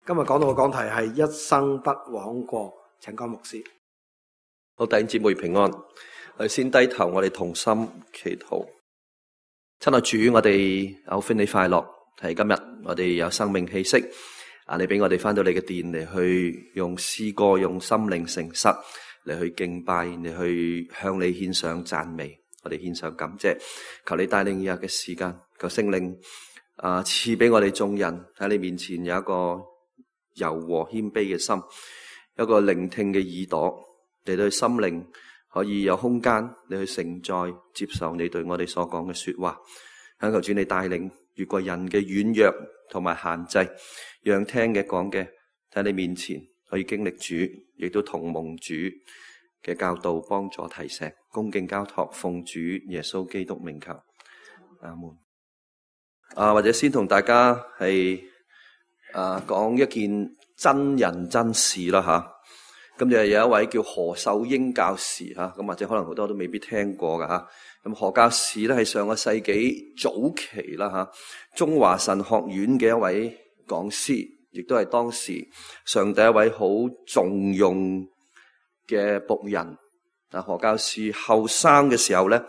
今日講到嘅講題係一生不枉過，請講牧師。好，弟兄姊妹平安。我哋先低頭，我哋同心祈禱。親愛主，我哋有歡喜快樂，係今日我哋有生命氣息。你俾我哋翻到你嘅殿嚟，去用詩歌、用心靈誠實嚟去敬拜，嚟去向你獻上讚美。我哋獻上感謝，求你帶領以下嘅時間，求聖靈賜俾我哋眾人喺你面前有一個柔和謙卑嘅心，有一個聆聽嘅耳朵，嚟到心靈可以有空間你去承載接受你對我哋所講嘅說話。懇求主你帶領，越過人嘅軟弱同埋限制，讓聽嘅講嘅喺你面前可以經歷主，亦都同蒙主嘅教導幫助提醒，恭敬交託，奉主耶穌基督名求，阿門。或者先同大家係講一件真人真事啦吓。咁就有一位叫何秀英教士吓，咁或者可能好多都未必聽過噶吓。咁何教士咧係上個世紀早期啦吓，中華神學院嘅一位講師，亦都係當時上帝一位好重用嘅僕人。何教士後生嘅時候咧，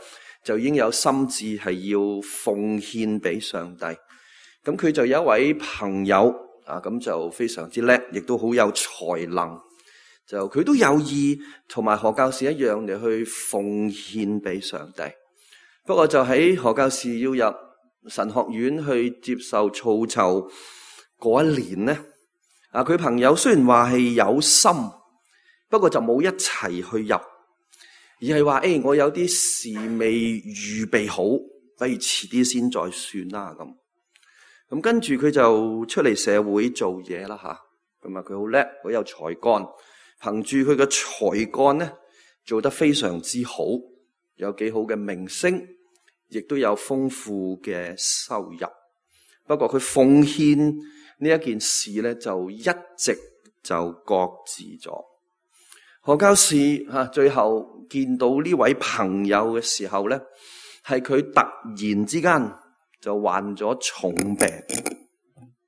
就已經有心志係要奉獻俾上帝。咁佢就有一位朋友咁就非常之叻，亦都好有才能。就佢都有意同埋何教士一樣嚟去奉獻俾上帝。不過就喺何教士要入神學院去接受操籌嗰一年呢，佢朋友雖然話係有心，不過就冇一齊去入，而係話我有啲事未預備好，不如遲啲先再算啦咁跟住佢就出嚟社會做嘢啦吓。咁佢好叻，好有才幹，憑住佢嘅才幹咧，做得非常之好，有幾好嘅名聲，亦都有豐富嘅收入。不過佢奉獻呢一件事咧，就一直就擱置咗。何教士最後見到呢位朋友嘅時候咧，係佢突然之間就患咗重病，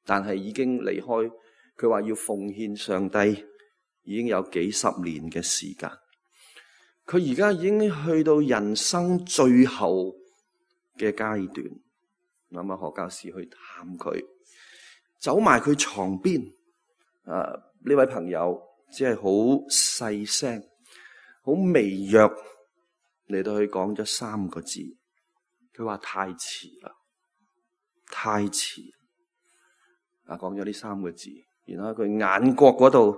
但係已經離開。佢話要奉獻上帝已經有幾十年嘅時間。佢而家已經去到人生最後嘅階段。咁何教士去探佢，走埋佢床邊。呢位朋友只係好細聲、好微弱嚟到去講咗3個字。佢話太遲啦，太遲。講咗呢3個字，然後佢眼角嗰度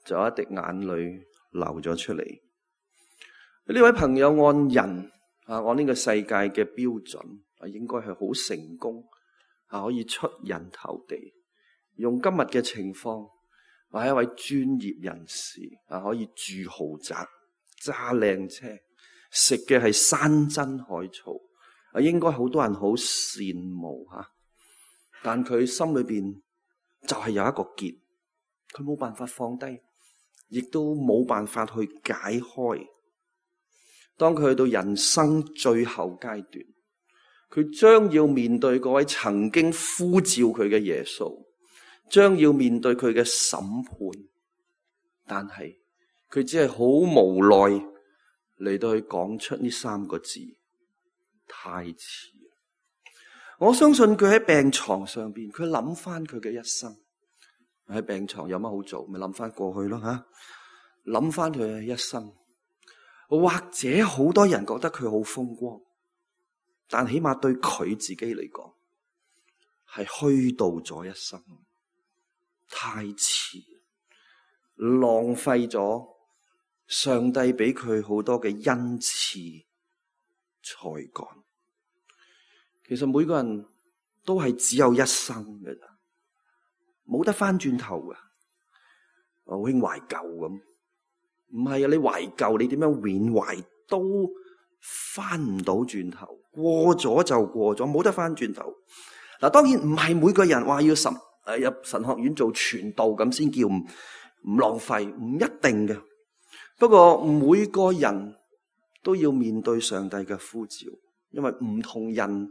就有一滴眼淚流咗出嚟。呢位朋友按人按呢個世界嘅標準應該係好成功，可以出人頭地。用今日嘅情況，係一位專業人士，可以住豪宅、揸靚車、食嘅係山珍海草，應該好多人好羨慕吓。但佢心裏邊就係有一個結，佢冇辦法放低，亦都冇辦法去解開。當佢去到人生最後階段，佢將要面對嗰位曾經呼召佢嘅耶穌，將要面對佢嘅審判，但係佢只係好無奈嚟到去講出呢3個字：太遲。我相信佢喺病床上邊，佢諗翻佢嘅一生。喺病床有乜好做？咪諗翻過去咯吓，諗翻佢嘅一生。或者好多人覺得佢好風光，但起碼對佢自己嚟講，係虛度咗一生，太遲，浪費咗上帝俾佢好多嘅恩賜才幹。其實每個人都係只有一生嘅咋，冇得翻轉頭噶。好興懷舊咁，唔係啊！你懷舊，你點樣緬懷都翻唔到轉頭，過咗就過咗，冇得翻轉頭。嗱，當然唔係每個人話要入神學院做傳道咁先叫唔浪費，唔一定嘅。不過每個人都要面對上帝嘅呼召，因為唔同人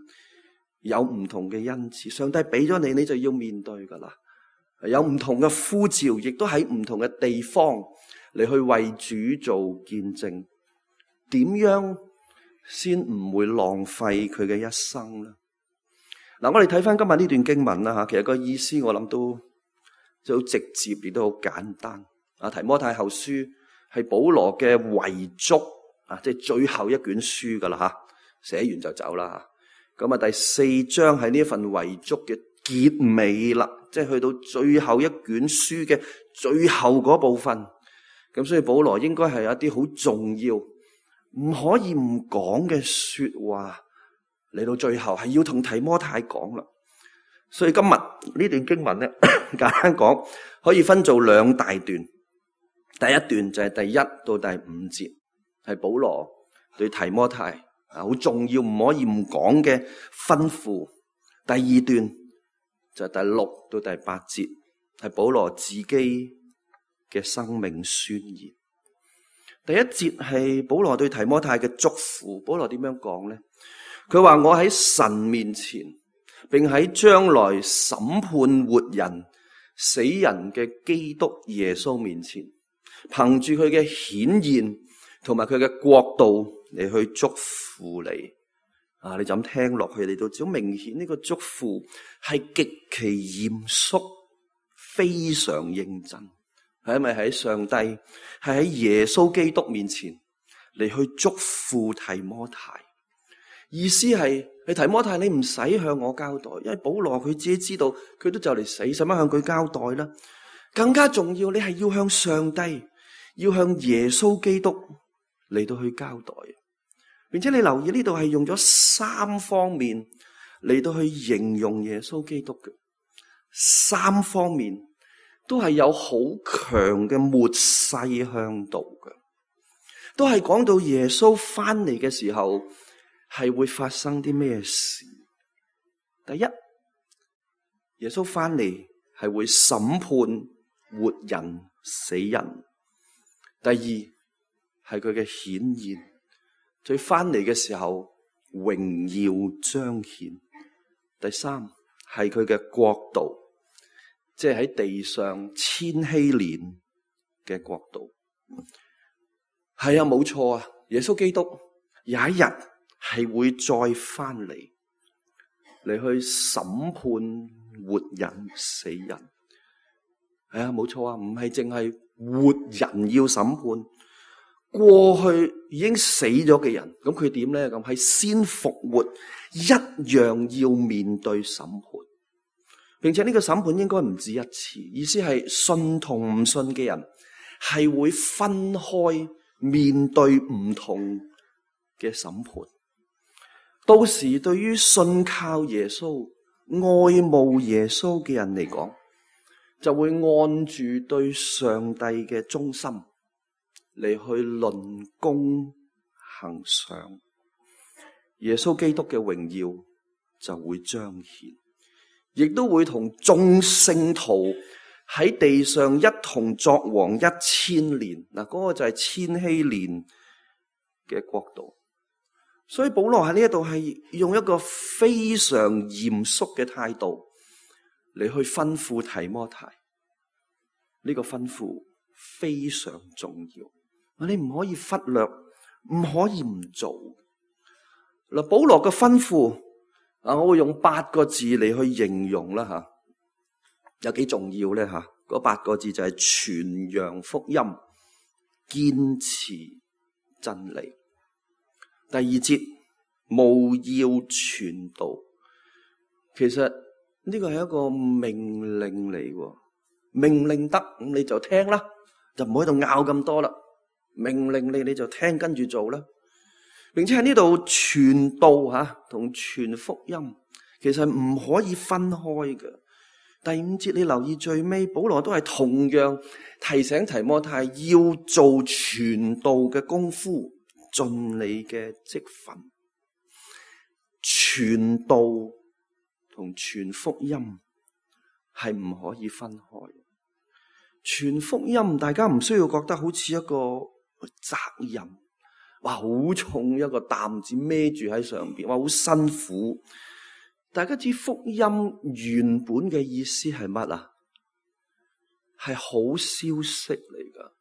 有唔同嘅恩賜，上帝俾咗你，你就要面對噶啦。有唔同嘅呼召，亦都喺唔同嘅地方嚟去為主做見證。點樣先唔會浪費佢嘅一生呢？嗱，我哋睇翻今日呢段經文啦吓，其實個意思我諗都就好直接，亦都好簡單。提摩太後書係保羅嘅遺囑即係最後一卷書噶啦吓，寫完就走啦吓。咁第4章係呢一份遺囑嘅結尾啦，即係去到最後一卷書嘅最後嗰部分。咁所以保羅應該係有一啲好重要，唔可以唔講嘅說話，嚟到最後係要同提摩太講啦。所以今日呢段經文咧，簡單講可以分做2大段。第一段就係第1到第5節，係保羅對提摩太好重要唔可以唔講嘅吩咐。第2段就係第6到第8節，係保羅自己嘅生命宣言。第1節係保羅對提摩太嘅祝福。保羅點樣講呢？佢話：我喺神面前，並喺將來審判活人死人嘅基督耶穌面前，憑住佢嘅顯現同埋佢嘅國度嚟去祝福你。你就咁聽落去，你都知好明顯呢個祝福係極其嚴肅，非常認真。係咪喺上帝係喺耶穌基督面前嚟去祝福提摩太？意思係你提摩太，你唔使向我交代，因為保羅佢自己知道佢都就嚟死，使乜向佢交代啦？更加重要，你係要向上帝，要向耶穌基督嚟到去交代。並且你留意呢度係用咗3方面嚟到去形容耶穌基督嘅，3方面都係有好強嘅末世向度嘅，都係講到耶穌翻嚟嘅時候係會發生啲咩事。第一，耶穌翻嚟係會審判活人死人。第二，係佢嘅顯現，佢翻嚟嘅時候榮耀彰顯。第三，係佢嘅國度，即係喺地上千禧年嘅國度。係啊，冇錯啊，耶穌基督有一日係會再翻嚟去審判活人死人。係啊，冇錯啊，唔係淨係活人要審判，過去已經死咗嘅人，咁佢點咧？咁係先復活，一樣要面對審判，並且呢個審判應該唔止一次，意思係信同唔信嘅人係會分開面對唔同嘅審判。到時對於信靠耶穌、愛慕耶穌嘅人嚟講，就會按住對上帝嘅忠心嚟去論功行賞，耶穌基督嘅榮耀就會彰顯，亦都會同眾聖徒喺地上一同作王1000年。嗱，嗰個就係千禧年嘅國度。所以保羅喺呢一度係用一個非常嚴肅嘅態度嚟去吩咐提摩太。呢個吩咐非常重要，你唔可以忽略，唔可以唔做。嗱，保羅嘅吩咐我會用8個字嚟去形容啦吓，有幾重要咧吓？嗰8個字就係傳揚福音，堅持真理。第2節，務要傳道。其實呢個係一個命令嚟喎，命令得咁你就聽啦，就唔好喺度拗咁多啦。命令你就聽，跟住做啦。並且喺呢度傳道吓同傳福音，其實唔可以分開嘅。第5節你留意最尾，保羅都係同樣提醒提摩太要做傳道嘅功夫，盡你嘅職分。傳道同傳福音係唔可以分開。傳福音大家唔需要覺得好似一個責任，哇，好重一個擔子孭住喺上邊，哇，好辛苦。大家知福音原本嘅意思係乜啊？係好消息嚟噶。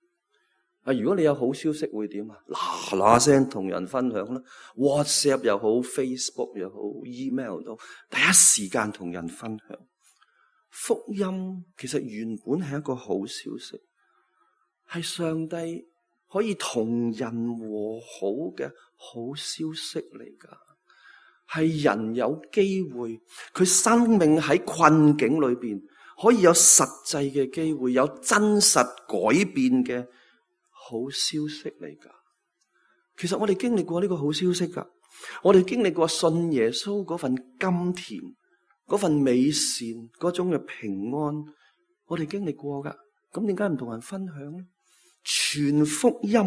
如果你有好消息會點啊？嗱嗱聲同人分享啦 ，WhatsApp 又好 ，Facebook 又好 ，email 都第一時間同人分享。福音其實原本係一個好消息，係上帝可以同人和好嘅好消息嚟噶。係人有機會，佢生命喺困境裏邊可以有實際嘅機會，有真實改變嘅好消息嚟噶。其實我哋經歷過呢個好消息噶，我哋經歷過信耶穌嗰份甘甜，嗰份美善，嗰種嘅平安，我哋經歷過噶。咁點解唔同人分享呢？傳福音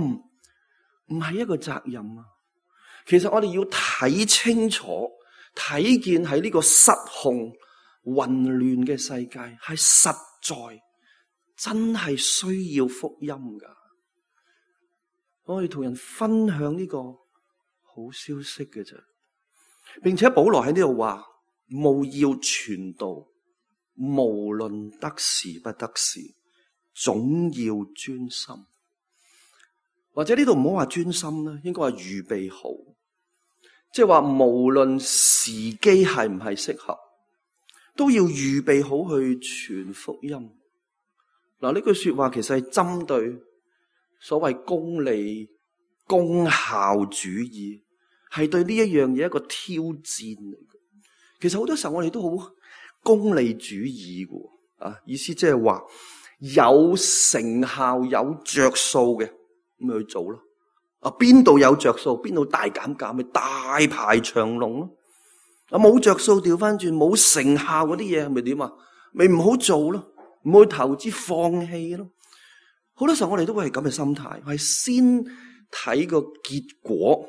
唔係一個責任啊！其實我哋要睇清楚，睇見喺呢個失控混亂嘅世界，係實在真係需要福音噶。我哋同人分享呢個好消息嘅啫，並且保羅喺呢度話，務要傳道，無論得時不得時，總要專心。或者呢度唔好話專心啦，應該話預備好，即係話無論時機係唔係適合，都要預備好去傳福音。嗱，呢句說話其實係針對所謂功利、功效主義，係對呢一樣嘢一個挑戰嚟嘅。其實好多時候我哋都好功利主義嘅，意思即係話有成效、有着數嘅，咪去做咯。邊度有着數，邊度大減價，咪大排長龍咯。冇着數調翻轉，冇成效嗰啲嘢，咪點啊？咪唔好做咯，唔好去投資，放棄咯。好多時候我哋都會係咁嘅心態，係先睇個結果，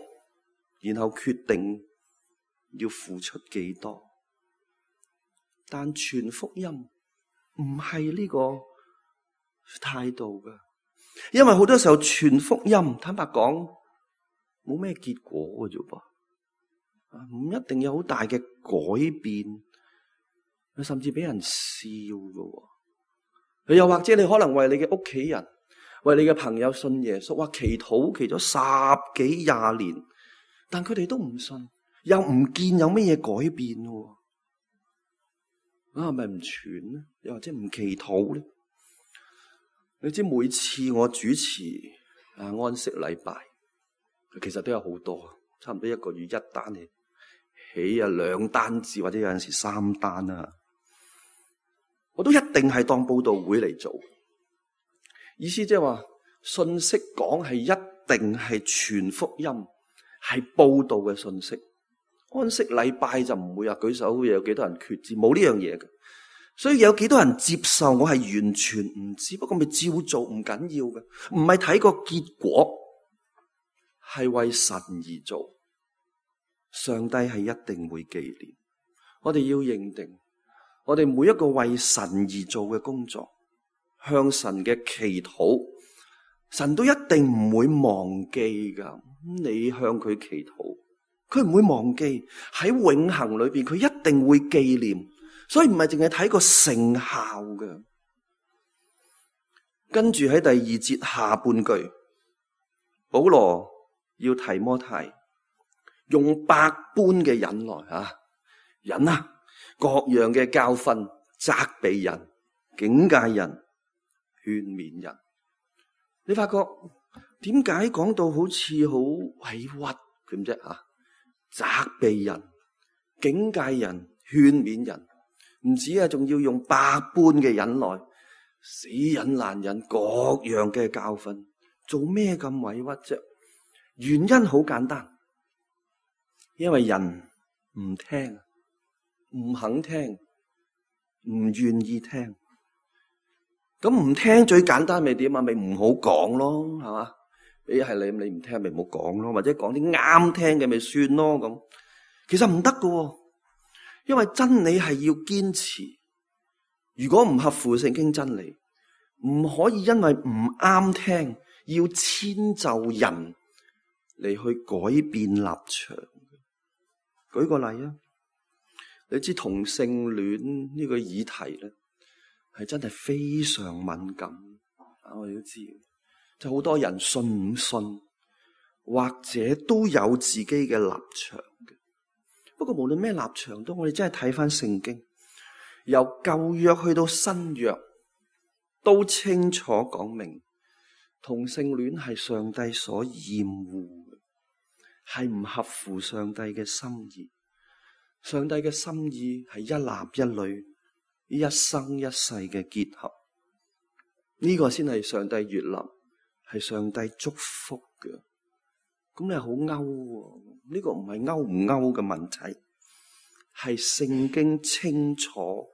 然後決定要付出幾多。但傳福音唔係呢個態度噶，因為好多時候傳福音，坦白講冇咩結果嘅啫噃，唔一定有好大嘅改變，甚至俾人笑嘅。又或者你可能為你嘅屋企人，為你嘅朋友信耶穌，話祈禱祈咗10幾20年，但佢哋都唔信，又唔見有乜嘢改變喎。係咪唔傳咧？又或者唔祈禱咧？你知每次我主持安息禮拜，其實都有好多，差唔多一個月1單起2單至，或者有陣時3單啊。我都一定係當佈道會嚟做，意思即係話信息講係一定係傳福音，係佈道嘅信息。安息禮拜就唔會舉手有幾多人決志，冇呢樣嘢嘅。所以有幾多人接受我係完全唔知，不過咪照做，唔緊要嘅。唔係睇個結果，係為神而做，上帝係一定會紀念。我哋要認定，我哋每一個為神而做嘅工作，向神嘅祈禱，神都一定唔會忘記噶。你向佢祈禱，佢唔會忘記，喺永恆裏邊佢一定會紀念。所以唔係淨係睇個成效嘅。跟住喺第2節下半句，保羅要提摩太用百般嘅忍耐忍各樣嘅教訓，責備人，警戒人，勸勉人。你發覺點解講到好似好委屈咁啫？責備人，警戒人，勸勉人。唔止仲要用百般嘅忍耐，死忍難忍，各樣嘅教訓，做咩咁委屈啫？原因好簡單，因為人唔聽，唔肯聽，唔願意聽。咁唔聽最簡單咪點啊？咪唔好講咯，係嘛？係你唔聽咪唔好講咯，或者講啲啱聽嘅咪算咯。咁其實唔得噶。因為真理係要堅持，如果唔合乎聖經真理，唔可以因為唔啱聽，要遷就人嚟去改變立場。舉個例啊，你知同性戀呢個議題咧，係真係非常敏感。我哋都知，就好多人信唔信，或者都有自己嘅立場嘅。不過無論咩立場都，我哋真係睇翻聖經，由舊約去到新約，都清楚講明同性戀係上帝所厭惡嘅，係唔合乎上帝嘅心意。上帝嘅心意係一男一女，一生一世嘅結合，呢個先係上帝悅納，係上帝祝福嘅。咁你係好勾，呢個唔係勾唔勾嘅問題，係聖經清楚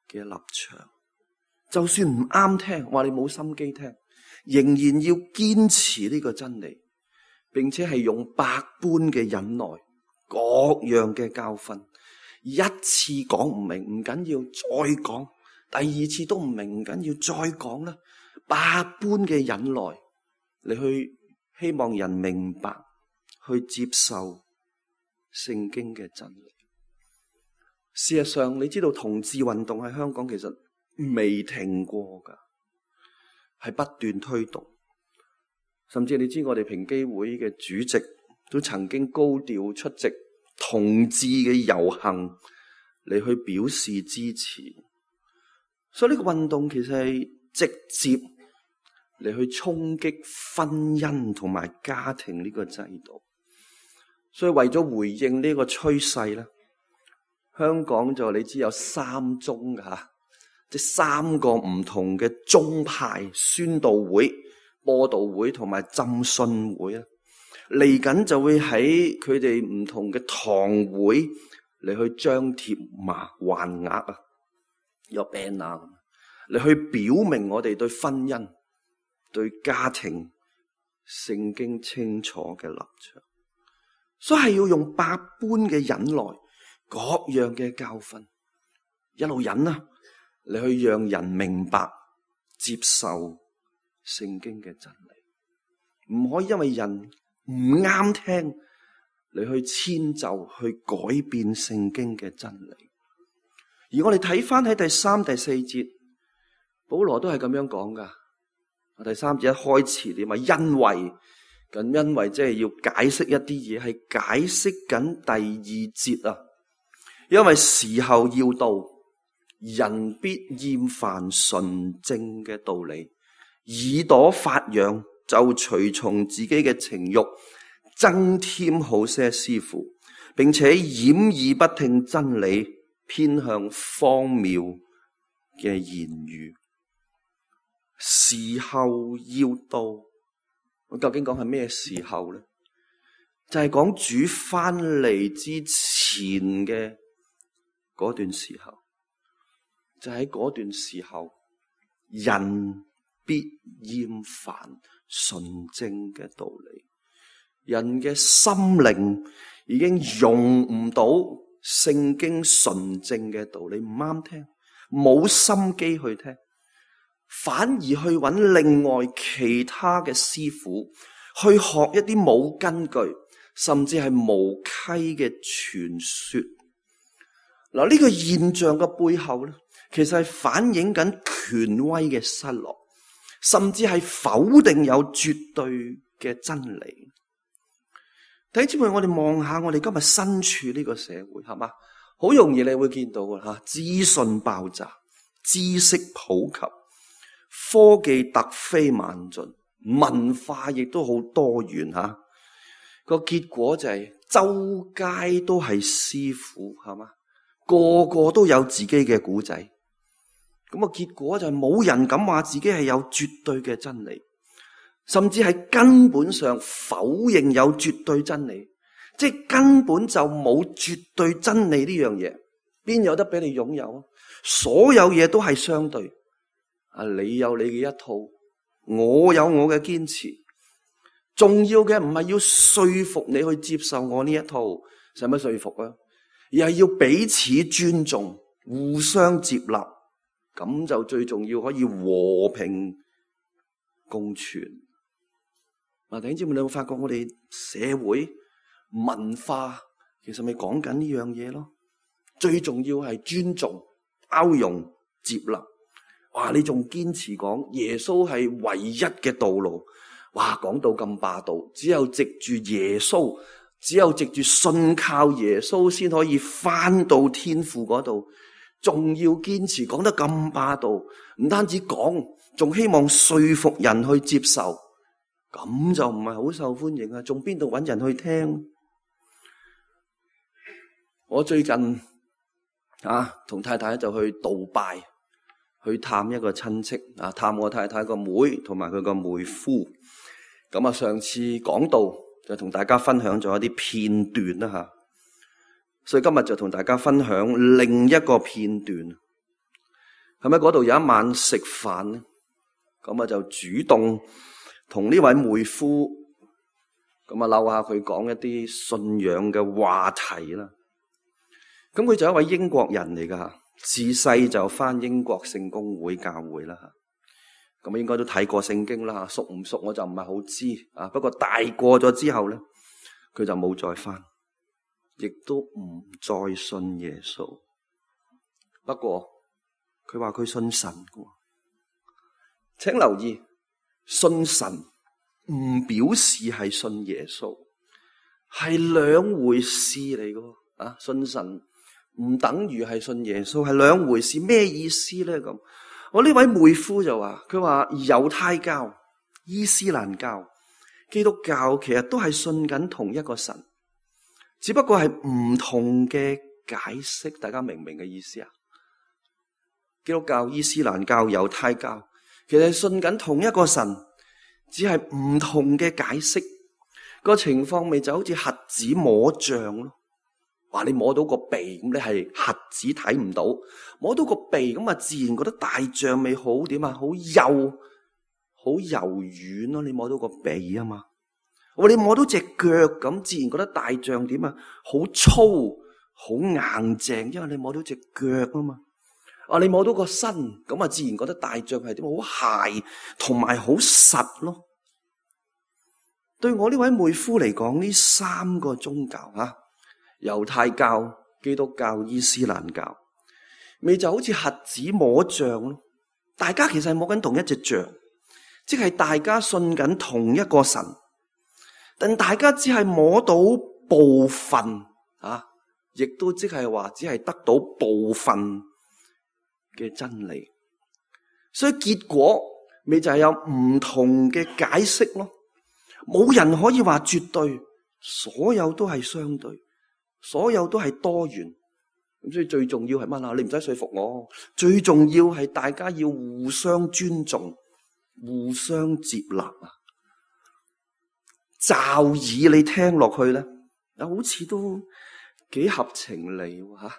嘅立場。就算唔啱聽，話你冇心機聽，仍然要堅持呢個真理，並且係用百般嘅忍耐，各樣嘅教訓，一次講唔明唔緊要，再講；第二次都唔明唔緊要，再講啦。百般嘅忍耐，你去希望人明白，去接受聖經嘅真理。事實上，你知道同志運動喺香港其實未停過噶，係不斷推動。甚至你知我哋平機會嘅主席都曾經高調出席同志嘅遊行嚟去表示支持。所以呢個運動其實係直接嚟去衝擊婚姻同埋家庭呢個制度。所以為咗回應呢個趨勢咧，香港就你知有3宗吓，即係3個唔同嘅宗派宣道會、播道會同埋浸信會啊，嚟緊就會喺佢哋唔同嘅堂會嚟去張貼橫額啊，有 banner 嚟去表明我哋對婚姻、對家庭聖經清楚嘅立場。所以係要用百般嘅忍耐，各樣嘅教訓，一路忍啊，嚟去讓人明白、接受聖經嘅真理。唔可以因為人唔啱聽嚟去遷就、去改變聖經嘅真理。而我哋睇翻喺第3、第4節，保羅都係咁樣講噶。第3節一開始點啊？因為即係要解釋一啲嘢，係解釋緊第2節啊。因為時候要到，人必厭煩純正嘅道理，耳朵發癢，就隨從自己嘅情慾，增添好些師傅，並且掩耳不聽真理，偏向荒謬嘅言語。時候要到，我究竟講係咩時候呢？就係講主翻嚟之前嘅嗰段時候，就喺嗰段時候，人必厭煩純正嘅道理，人嘅心靈已經容唔到聖經純正嘅道理，唔啱聽，冇心機去聽，反而去揾另外其他嘅師傅去學一啲冇根據，甚至係無稽嘅傳說。嗱，呢個現象嘅背後咧，其實係反映緊權威嘅失落，甚至係否定有絕對嘅真理。弟兄姊妹，我哋望下我哋今日身處呢個社會，係嘛？好容易你會見到嘅吓，資訊爆炸，知識普及，科技突飛猛進，文化亦都好多元吓。個結果就係周街都係師傅，係嘛？個個都有自己嘅古仔。咁個結果就係冇人敢話自己係有絕對嘅真理，甚至係根本上否認有絕對真理，即係根本就冇絕對真理呢樣嘢，邊有得俾你擁有啊？所有嘢都係相對，你有你嘅一套，我有我嘅堅持。重要嘅唔係要說服你去接受我呢一套，使乜說服啊？而係要彼此尊重，互相接納，咁就最重要，可以和平共存。弟兄姊妹，你有冇發覺我哋社會文化其實咪講緊呢樣嘢咯？最重要係尊重、包容、接納，哇！你仲堅持講耶穌係唯一嘅道路，哇！講到咁霸道，只有藉住耶穌，只有藉住信靠耶穌先可以返到天父嗰度，仲要堅持講得咁霸道，唔單止講，仲希望說服人去接受，咁就唔係好受歡迎啊！仲邊度搵人去聽？我最近同太太就去杜拜去探一個親戚探我太太個妹同埋佢個妹夫。咁上次講到就同大家分享咗一啲片段啦，所以今日就同大家分享另一個片段。喺嗰度有一晚食飯咧，咁就主動同呢位妹夫咁溜下佢講一啲信仰嘅話題啦。咁佢就一位英國人嚟噶，自細就返英國聖公會教會啦。咁應該都睇過聖經啦，熟唔熟我就唔係好知。不過大過咗之後咧，佢就冇再返，亦都唔再信耶穌。不過佢話佢信神嘅。請留意，信神唔表示係信耶穌，係兩回事嚟嘅。信神唔等於係信耶穌，係兩回事。咩意思咧？咁我呢位妹夫就話，佢話猶太教、伊斯蘭教、基督教其實都係信緊同一個神，只不過係唔同嘅解釋。大家明唔明嘅意思啊？基督教、伊斯蘭教、猶太教其實係信緊同一個神，只係唔同嘅解釋。個情況咪就好似瞎子摸象咯。話你摸到個鼻，咁你係瞎子睇唔到；摸到個鼻，咁自然覺得大象咪好點啊？好幼，好柔軟咯。你摸到個鼻啊嘛。我你摸到隻腳，咁自然覺得大象點啊？好粗，好硬淨，因為你摸到隻腳啊嘛。你摸到個身，咁自然覺得大象係點？好鞋同埋好實咯。對我呢位妹夫嚟講，呢三個宗教猶太教、基督教、伊斯蘭教，咪就好似瞎子摸象咯。大家其實係摸緊同一隻象，即係大家信緊同一個神，但大家只係摸到部分亦都即係話只係得到部分嘅真理。所以結果咪就係有唔同嘅解釋咯。冇人可以話絕對，所有都係相對。所有都係多元，咁所以最重要係乜啊？你唔使說服我，最重要係大家要互相尊重、互相接納啊！驟耳你聽落去咧，好似都幾合情理吓，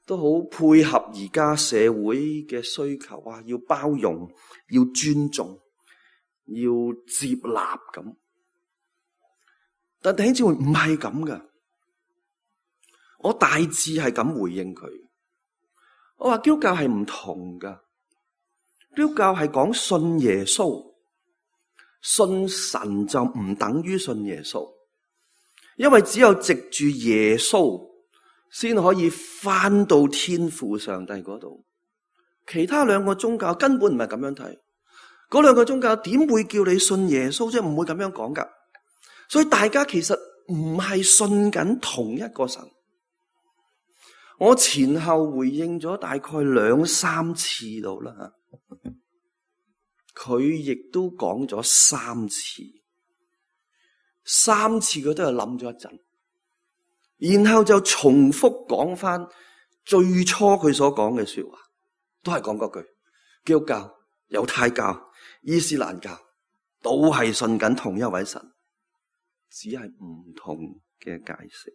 都好配合而家社會嘅需求啊！要包容，要尊重，要接納咁。但弟兄姊妹唔係咁噶。我大致係咁回應佢，我話基督教係唔同噶，基督教係講信耶穌，信神就唔等於信耶穌，因為只有藉住耶穌先可以返到天父上帝嗰度，其他兩個宗教根本唔係咁樣睇，嗰兩個宗教點會叫你信耶穌啫？唔會咁樣講噶，所以大家其實唔係信緊同一個神。我前後回應咗大概2-3次到啦，佢亦都講咗3次，3次佢都係諗咗一陣，然後就重複講翻最初佢所講嘅說話，都係講嗰句：基督教、猶太教、伊斯蘭教都係信緊同一位神，只係唔同嘅解釋。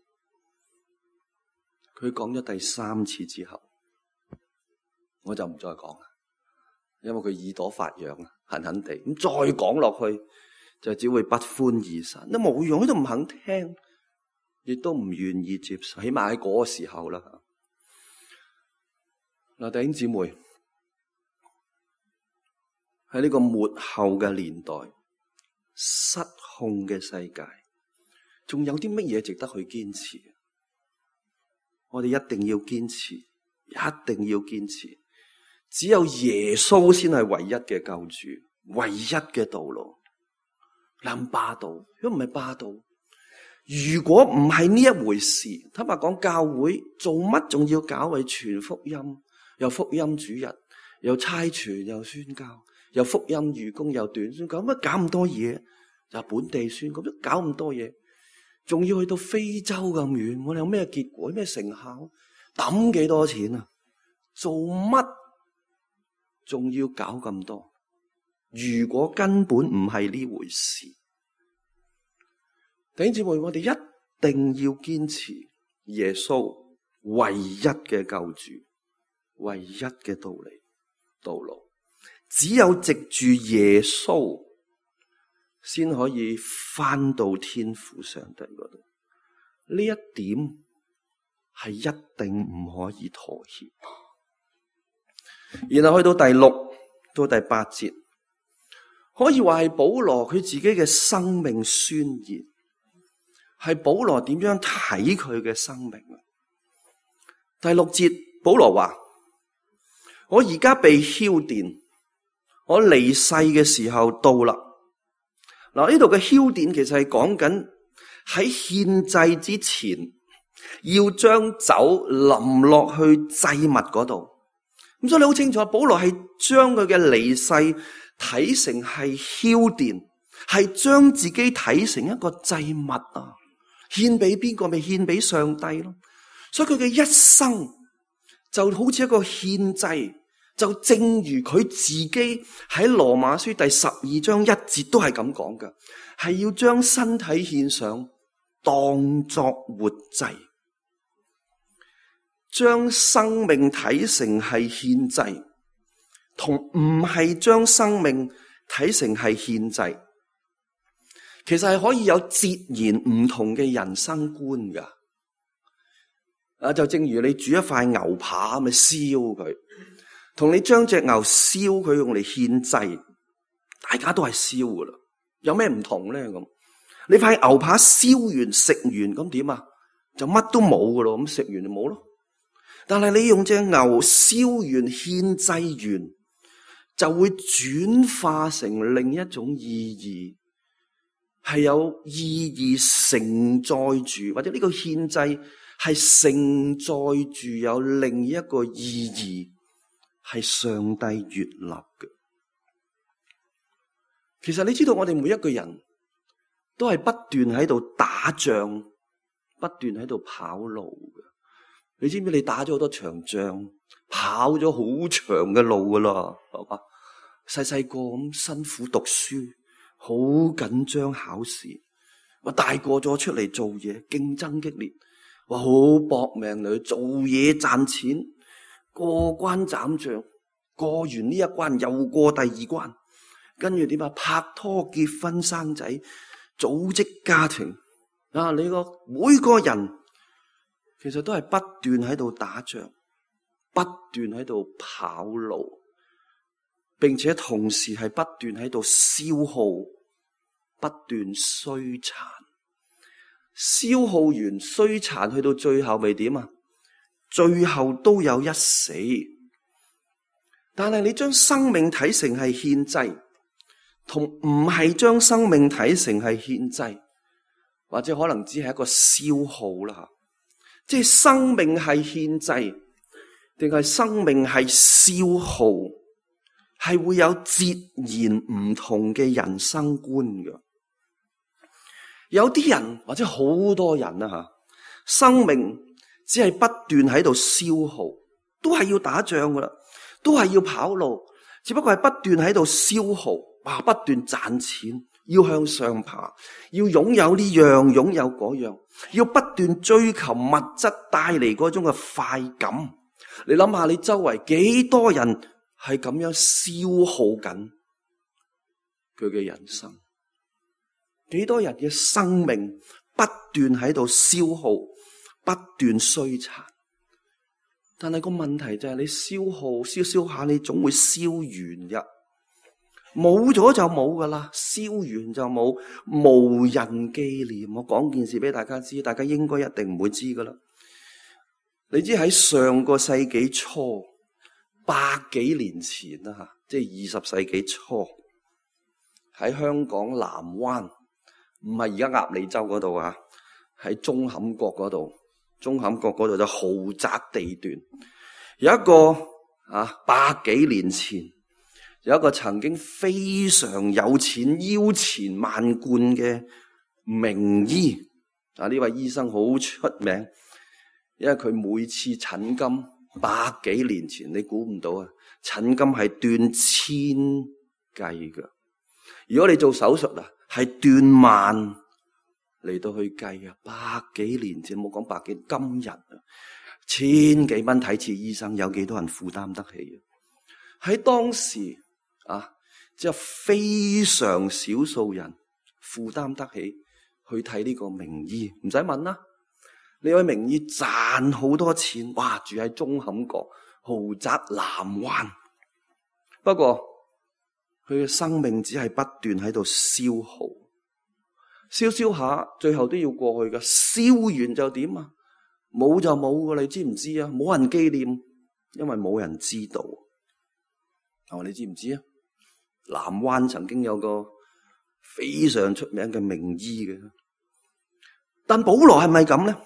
佢講咗第3次之後，我就唔再講啦，因為佢耳朵發癢啊，痕痕地。咁再講落去，就只會不歡而散。都冇用，佢都唔肯聽，亦都唔願意接受。起碼喺嗰個時候啦。嗱，弟兄姊妹，喺呢個末後嘅年代，失控嘅世界，仲有啲乜嘢值得去堅持？我哋一定要堅持，一定要堅持，只有耶穌先係唯一嘅救主，唯一嘅道路。咁霸道，如果唔係霸道，如果唔係呢一回事，坦白講，教會做乜仲要搞為傳福音，又福音主日，又差傳，又宣教，又福音預工，又短宣，搞乜搞咁多嘢？就本地宣教，咁搞咁多嘢，仲要去到非洲咁遠，我哋有咩結果？咩成效？抌幾多錢啊？做乜仲要搞咁多？如果根本唔係呢回事，弟兄姊妹，我哋一定要堅持耶穌唯一嘅救主，唯一嘅道路，只有藉住耶穌先可以返到天父上帝嗰度。呢一點係一定唔可以妥協。然後去到第6到第8節，可以話係保羅佢自己嘅生命宣言，係保羅點樣睇佢嘅生命。第6節，保羅話：我而家被澆奠，我離世嘅時候到啦。嗱，呢度嘅澆奠其實係講緊喺獻祭之前要將酒淋落去祭物嗰度。咁所以你好清楚，保羅係將佢嘅離世睇成係澆奠，係將自己睇成一個祭物啊，獻俾邊個？咪獻俾上帝咯。所以佢嘅一生就好似一個獻祭，就正如佢自己喺羅馬書第12章1節都係咁講嘅，係要將身體獻上，當作活祭。將生命睇成係獻祭，同唔係將生命睇成係獻祭，其實係可以有截然唔同嘅人生觀噶。就正如你煮一塊牛扒咪燒佢，同你將隻牛燒佢用嚟獻祭，大家都係燒噶啦，有咩唔同咧？咁你塊牛扒燒完食完咁點啊？就乜都冇噶咯，咁食完就冇咯。但係你用隻牛燒完獻祭完，就會轉化成另一種意義，係有意義承載住，或者呢個獻祭係承載住有另一個意義，係上帝悅納嘅。其實你知道我哋每一個人都係不斷喺度打仗，不斷喺度跑路嘅。你知唔知你打咗好多場仗，跑咗好長嘅路噶啦，係嘛？細細個咁辛苦讀書，好緊張考試，話大個咗出嚟做嘢，競爭激烈，話好搏命嚟做嘢賺錢，過關斬將，過完呢一關又過第二關，跟住點啊？拍拖結婚生仔，組織家庭啊！你個每個人其實都係不斷喺度打仗，不斷喺度跑路，並且同時係不斷喺度消耗，不斷衰殘，消耗完衰殘去到最後咪點啊？最後都有一死。但係你將生命睇成係獻祭，同唔係將生命睇成係獻祭，或者可能只係一個消耗啦。即係生命係獻祭，定係生命係消耗，係會有截然唔同嘅人生觀嘅。有啲人或者好多人啊，生命只係不斷喺度消耗，都係要打仗噶啦，都係要跑路，只不過係不斷喺度消耗，不斷賺錢，要向上爬，要擁有呢樣，擁有嗰樣，要不斷追求物質帶嚟嗰種嘅快感。你諗下，你周圍幾多人係咁樣消耗緊佢嘅人生？幾多人嘅生命不斷喺度消耗，不斷衰殘？但係個問題就係你消耗燒下，你總會燒完嘅。冇咗就冇噶啦，燒完就冇，無人紀念。我講件事俾大家知，大家應該一定唔會知噶啦。你知喺上個世紀初，百幾年前啦，即係20世紀初喺香港南灣，唔係而家鴨脷洲嗰度啊，喺舂坎角嗰度。舂坎角嗰度就豪宅地段，有一個百幾年前有一個曾經非常有錢、腰纏萬貫嘅名醫呢位醫生好出名，因為佢每次診金百幾年前，你估唔到啊，診金係斷千計噶。如果你做手術係斷萬嚟到去計啊，百幾年前冇講百幾，今日千幾蚊睇次醫生，有幾多人負擔得起啊？喺當時只有非常少數人負擔得起去睇呢個名醫，唔使問啦。呢位名醫賺好多錢，哇！住喺舂坎角豪宅南灣，不過佢嘅生命只係不斷喺度消耗。燒下，最後都要過去噶。燒完就點啊？冇就冇噶，你知唔知啊？冇人紀念，因為冇人知道。你知唔知啊？南灣曾經有個非常出名嘅名醫嘅，但保羅係咪咁呢？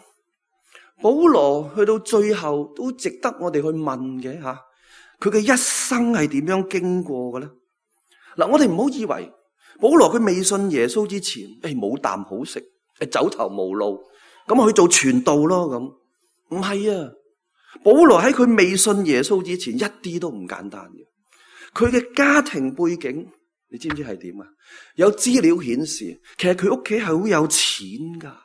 保羅去到最後都值得我哋去問嘅吓，佢嘅一生係點樣經過嘅咧？我哋唔好以為保羅佢未信耶穌之前，冇啖好食，走投無路，咁去做傳道咯咁。唔係啊，保羅喺佢未信耶穌之前，一啲都唔簡單嘅。佢嘅家庭背景，你知唔知係點啊？有資料顯示，其實佢屋企係好有錢噶。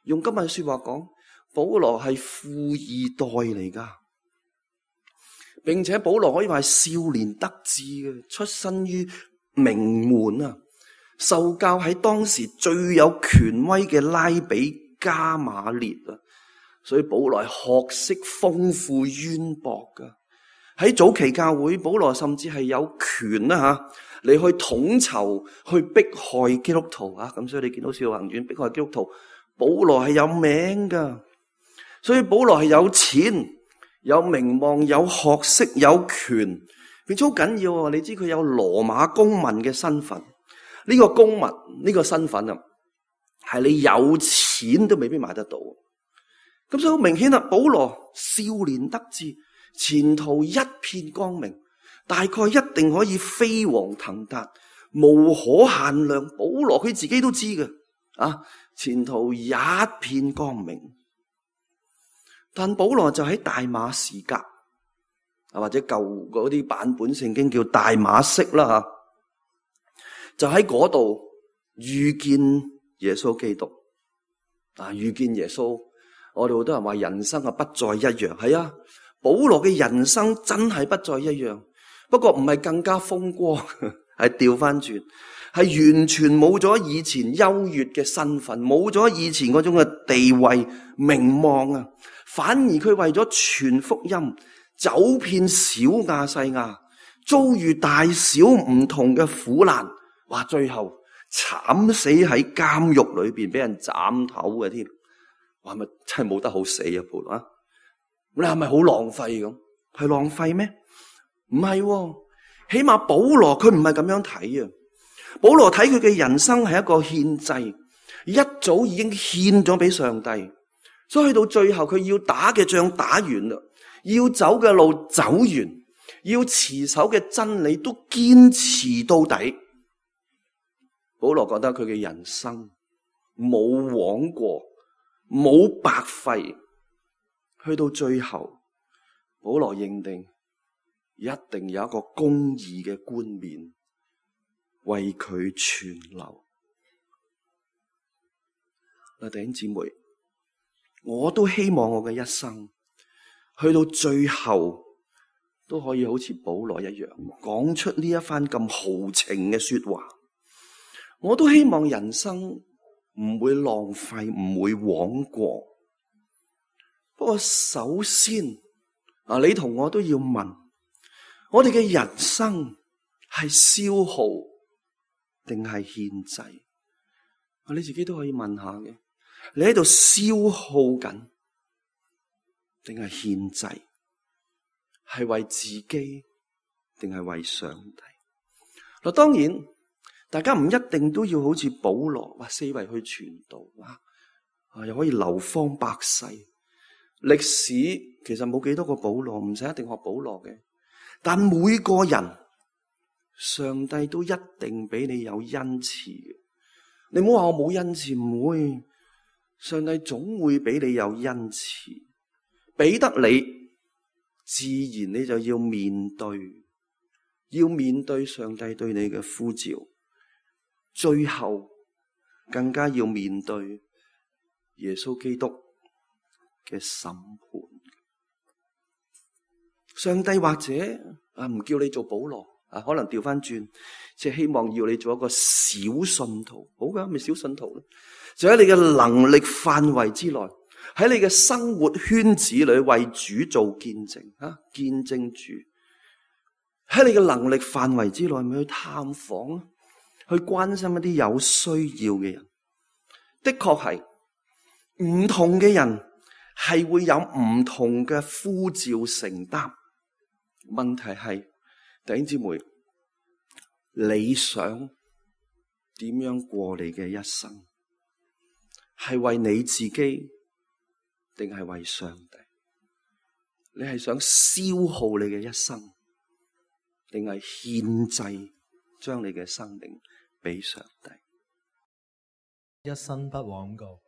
用今日說話講，保羅係富二代嚟噶，並且保羅可以話係少年得志嘅，出身於名門啊。受教喺當時最有權威嘅拉比加馬列啊，所以保羅學識豐富淵博噶。喺早期教會，保羅甚至係有權你去統籌去迫害基督徒啊。咁所以你見到《使徒行傳》迫害基督徒，保羅係有名噶。所以保羅係有錢、有名望、有學識、有權，並且好緊要啊！你知佢有羅馬公民嘅身份。呢個公民呢個身份啊，係你有錢都未必買得到。咁所以好明顯啦，保羅少年得志，前途一片光明，大概一定可以飛黃騰達，無可限量。保羅佢自己都知嘅前途一片光明。但保羅就喺大馬士革或者舊嗰啲版本聖經叫大馬色啦就喺嗰度遇見耶穌基督遇見耶穌，我哋好多人話人生不再一樣。係啊，保羅嘅人生真係不再一樣，不過唔係更加風光，係調翻轉，係完全冇咗以前優越嘅身份，冇咗以前嗰種嘅地位名望啊，反而佢為咗傳福音，走遍小亞細亞，遭遇大小唔同嘅苦難。哇！最後慘死喺監獄裏邊，俾人斬頭嘅添。哇！咪真係冇得好死啊！保羅你係咪好浪費咁？係浪費咩？唔係，起碼保羅佢唔係咁樣睇啊。保羅睇佢嘅人生係一個獻祭，一早已經獻咗俾上帝，所以去到最後佢要打嘅仗打完啦，要走嘅路走完，要持守嘅真理都堅持到底。保羅覺得佢嘅人生冇枉過，冇白費。去到最後，保羅認定一定有一個公義嘅冠冕為佢存留。弟兄姊妹，我都希望我嘅一生去到最後都可以好似保羅一樣，講出呢一番咁豪情嘅說話。我都希望人生唔會浪費，唔會枉過。不過首先你同我都要問，我哋嘅人生係消耗定係獻祭？你自己都可以問下嘅，你喺度消耗緊定係獻祭？係為自己定係為上帝？嗱，當然大家唔一定都要好似保羅四圍去傳道又可以流芳百世。歷史其實冇幾多個保羅，唔使一定學保羅嘅。但每個人，上帝都一定俾你有恩賜嘅。你唔好話我冇恩賜，唔會。上帝總會俾你有恩賜，俾得你，自然你就要面對上帝對你嘅呼召，最後更加要面對耶穌基督嘅審判。上帝或者唔叫你做保羅，可能調翻轉，即係希望要你做一個小信徒。好嘅，咪小信徒咧，就喺你嘅能力範圍之內，喺你嘅生活圈子裏為主做見證，見證主。喺你嘅能力範圍之內，咪去探訪，去關心一啲有需要嘅人。的確係唔同嘅人係會有唔同嘅呼召承擔。問題係，弟兄姊妹，你想點樣過你嘅一生？係為你自己定係為上帝？你係想消耗你嘅一生，定係獻祭將你嘅生命俾上帝？一生不枉過。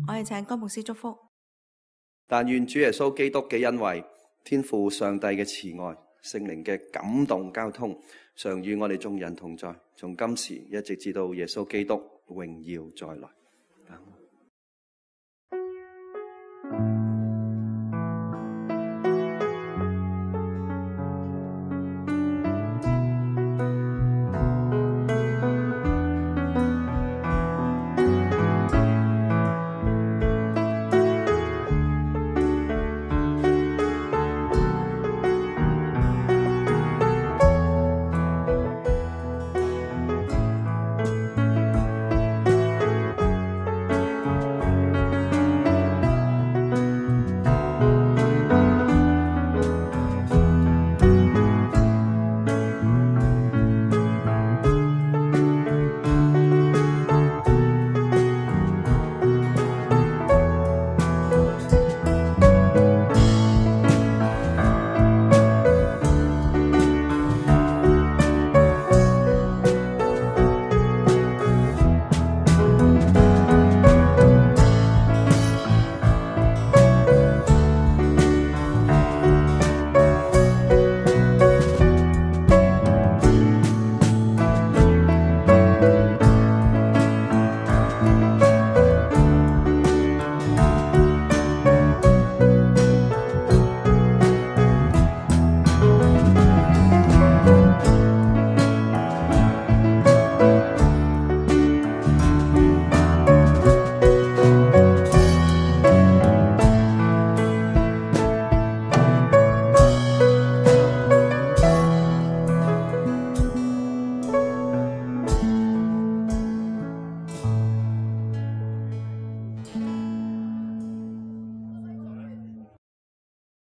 我哋請江牧師祝福。但願主耶穌基督嘅恩惠、天父上帝嘅慈愛、聖靈嘅感動交通，常與我哋眾人同在，從今時一直至到耶穌基督榮耀再來。